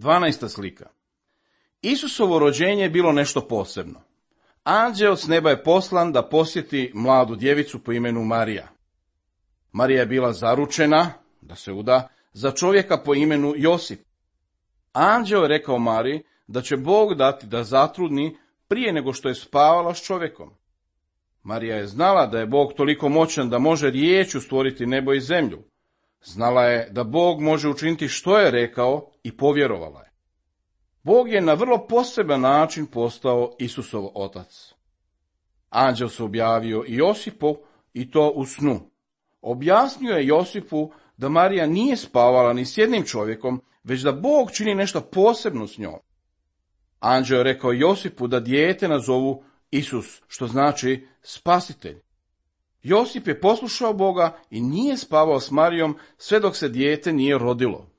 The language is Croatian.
12. slika. Isusovo rođenje je bilo nešto posebno. Anđeo s neba je poslan da posjeti mladu djevicu po imenu Marija. Marija je bila zaručena, da se uda, za čovjeka po imenu Josip. Anđeo je rekao Mariji da će Bog dati da zatrudni prije nego što je spavala s čovjekom. Marija je znala da je Bog toliko moćan da može riječju stvoriti nebo i zemlju. Znala je da Bog može učiniti što je rekao i povjerovala je. Bog je na vrlo poseban način postao Isusov otac. Anđel se objavio i Josipu i to u snu. Objasnio je Josipu da Marija nije spavala ni s jednim čovjekom, već da Bog čini nešto posebno s njom. Anđel je rekao Josipu da dijete nazovu Isus, što znači spasitelj. Josip je poslušao Boga i nije spavao s Marijom sve dok se dijete nije rodilo.